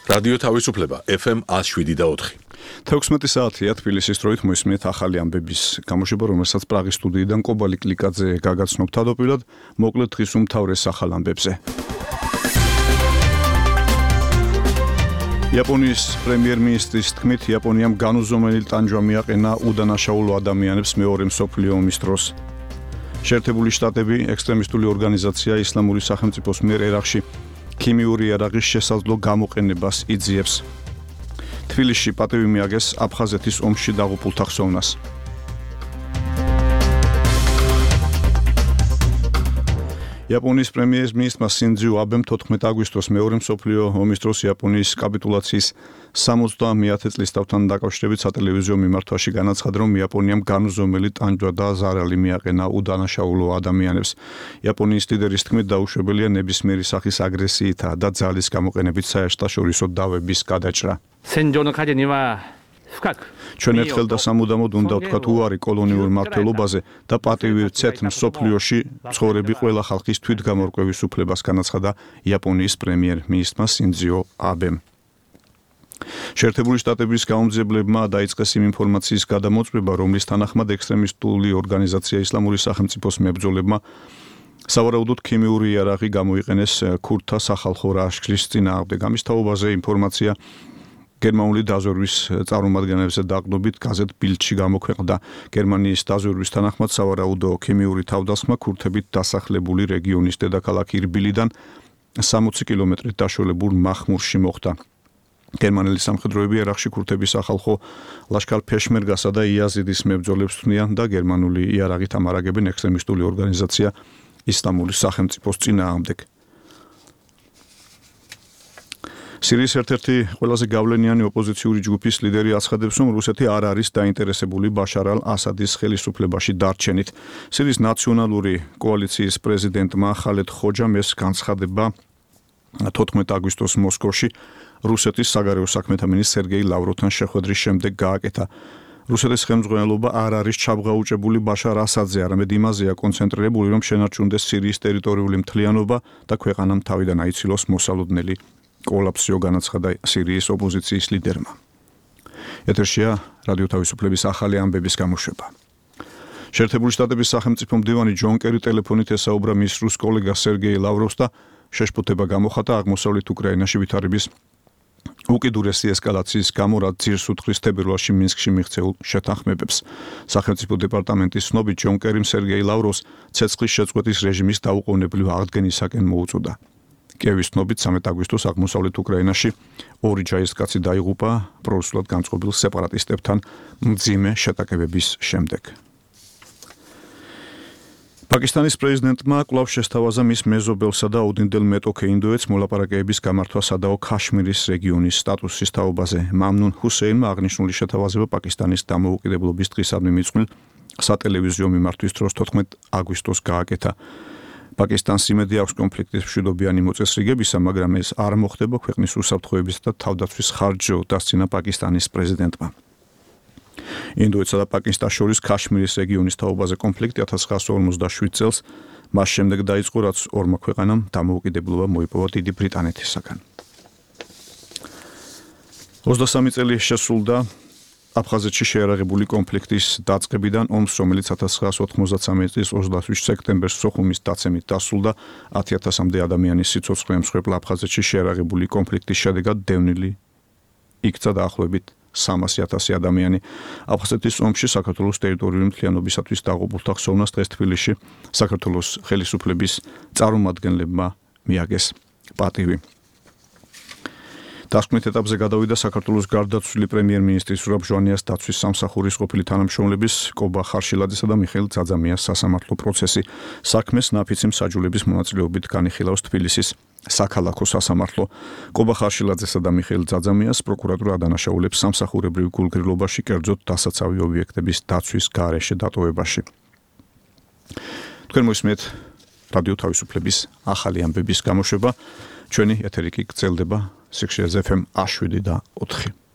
რადიო თავისუფლება FM 107.4. 16 საათია თბილისის დროით მოისმენთ ახალი ამბების გამოშვება, რომელსაც პრაღის სტუდიიდან კობალი კლიკაძე გაგაცნობ თავდაპირველად, მოკლედ დღის უმთავრეს ახალ ამბებზე. იაპონიის პრემიერ-მინისტრის თქმით, იაპონიამ განუზომელი ტანჯვა მიაყენა უდანაშაულო ადამიანებს მეორე მსოფლიო ომის დროს. შეერთებული შტატები ექსტრემისტული ორგანიზაცია ისლამური სახელმწიფოს მიერ ერაყში ქიმიური იარაღის შესაძლო გამოყენებას იძიებს. თბილისში პატივი მიაგეს აფხაზეთის ომში დაღუპულთა ხსოვნას. იაპონიის პრემიერ-მინისტრმა სინძიო აბემ 14 აგვისტოს მეორე მსოფლიო ომის დროს იაპონიის კაპიტულაციის 70-ე წლის თავთან დაკავშირებით სატელევიზიო მიმართვაში განაცხადა, რომ იაპონიამ განუზომელი ტანჯვა და ზარალი მიაყენა უდანაშაულო ადამიანებს. იაპონიის ლიდერის თქმით, დაუშვებელია ნებისმიერი სახის აგრესიითა და ძალის გამოყენებით საერთაშორისო დავების გადაჭრა. ჩვენ ერთხელ და სამუდამოდ უნდა ვთქვათ უარი კოლონიურ მმართველობაზე და პატივი ვცეთ მსოფლიოში ცხოვრები ყველა ხალხის თვითგამორკვევის უფლებას, განაცხადა იაპონიის პრემიერ-მინისტრმა სინძიო აბემ. შეერთებული შტატების გაუმძებლებმა დაიწყეს იმ ინფორმაციის გადამოწმება, რომლის თანახმად ექსტრემისტული ორგანიზაცია ისლამური სახელმწიფოს მებრძოლებმა სავარაუდოდ ქიმიური იარაღი გამოიყენეს ქურთთა სახალხო ლაშქრის წინააღმდეგ. ამის თაობაზე ინფორმაცია გერმანული დაზვერვის წარმომადგენლებზე დაყრდნობით გაზეთ ბილდში გამოქვეყნდა. გერმანიის დაზვერვის თანახმად სავარაუდო ქიმიური თავდასხმა ქურთებით დასახლებული რეგიონის დედაქალაქ ირბილიდან 60 კილომეტრით დაშორებულ მახმურში მოხდა. გერმანელი სამხედროები ერაყში ქურთების სახალხო ლაშქარ ფეშმერგასა და იაზიდის მებრძოლებს თვლიან და გერმანული იარაღით ამარაგებენ ექსტრემისტული ორგანიზაცია ისლამური სახელმწიფოს წინააღმდეგ. სირიის ერთ-ერთი ყველაზე გავლენიანი ოპოზიციური ჯგუფის ლიდერი აცხადებს, რომ რუსეთი არ არის დაინტერესებული ბაშარ ალ-ასადის ხელისუფლებაში დარჩენით. სირიის ნაციონალური კოალიციის პრეზიდენტმა ხალედ ხოჯამ ეს განცხადება 14 აგვისტოს მოსკოვში რუსეთის საგარეო საქმეთა მინისტრ სერგეი ლავროვთან შეხვედრის შემდეგ გააკეთა. რუსეთის ხელმძღვანელობა არ არის ჩაბღაუჭებული ბაშარ ასადზე, არამედ იმაზეა კონცენტრირებული, რომ შენარჩუნდეს სირიის ტერიტორიული მთლიანობა და ქვეყანამ თავიდან აიცილოს მოსალოდნელი კოლაფსიო, განაცხადა სირიის ოპოზიციის ლიდერმა. ეთერშია რადიო თავისუფლების ახალი ამბების გამოშვება. შეერთებული შტატების სახელმწიფო მდივანი ჯონ კერი ტელეფონით ესაუბრა მის რუს კოლეგას სერგეი ლავროვს და შეშფოთება გამოხატა აღმოსავლეთ უკრაინაში ვითარების უკიდურესი ესკალაციის გამო, რაც ძირს უძღვის თებერვალში მინსკში მიღწეულ შეთანხმებებს. სახელმწიფო დეპარტამენტის ცნობით ჯონ კერიმ სერგეი ლავროვს ცეცხლის შეწყვეტის რეჟიმის დაუყოვნებლივ აღდგენისაკენ მოუწოდა. კიევის ცნობით 13 აგვისტოს აღმოსავლეთ უკრაინაში ორი ჯარისკაცი დაიღუპა პრორუსულად განწყობილ სეპარატისტებთან მძიმე შეტაკებების შემდეგ. პაკისტანის პრეზიდენტმა კვლავ შესთავაზა მის მეზობელსა და ოდინდელ მეტოქე ინდოეთს მოლაპარაკებების გამართვა სადაო ქაშმირის რეგიონის სტატუსის თაობაზე. მამნუნ ჰუსეინმა აღნიშნული შეთავაზება პაკისტანის დამოუკიდებლობის დღისადმი მიწყვილ სატელევიზიო მიმართვის დროს 14 აგვისტოს გააკეთა. პაკისტანს იმედი აქვს კონფლიქტის მშვიდობიანი მოწესრიგებისა, მაგრამ ეს არ მოხდება ქვეყნის უსაფრთხოებისა და თავდაცვის ხარჯზე, დასცინა პაკისტანის პრეზიდენტმა. ინდოეთსა და პაკისტანს შორის ქაშმირის რეგიონის თაობაზე კონფლიქტი 1947 წელს მას შემდეგ დაიწყო, რაც ორმა ქვეყანამ დამოუკიდებლობა მოიპოვა დიდი ბრიტანეთისაგან. 23 წელი შესრულდა აფხაზეთში შეერაღებული კონფლიქტის დაწყებიდან ომს, რომელიც 1993 წლის 28 სექტემბერს სოხუმის დაცემით დასრულდა. 10,000-მდე ადამიანის სიცოცხლე ემსხვერპლა აფხაზეთში შეერაღებული კონფლიქტის შედეგად დევნილი იქცა დაახლოებით 300,000 ადამიანი. აფხაზეთის ომში საქართველოს ტერიტორიული მთლიანობისათვის დაღუპულთა ხსოვნას დღეს თბილისში საქართველოს ხელისუფლების წარმომადგენლებმა მიაგეს პატივი. დასკვნით ეტაპზე გადავიდა საქართველოს გარდაცვლილი პრემიერ-მინისტრის ზურაბ ჟვანიას დაცვის სამსახურის ყოფილი თანამშრომლების კობა ხარშილაძესა და მიხეილ ძაძამიას სასამართლო პროცესი. საქმეს ნაფიცი მსაჯულების მონაწილეობით განიხილავს თბილისის საქალაქო სასამართლო. კობა ხარშილაძესა და მიხეილ ძაძამიას პროკურატურა ადანაშაულებს სამსახურებრივ გულგრილობაში, კერძოდ დასაცავი ობიექტების დაცვის გარეშე დატოვებაში. თქვენ მოისმენთ რადიო თავისუფლების ახალი ამბების გამოშვება. ჩვენი ეთერი კი გრძელდება სიხშირეზე FM 107.4.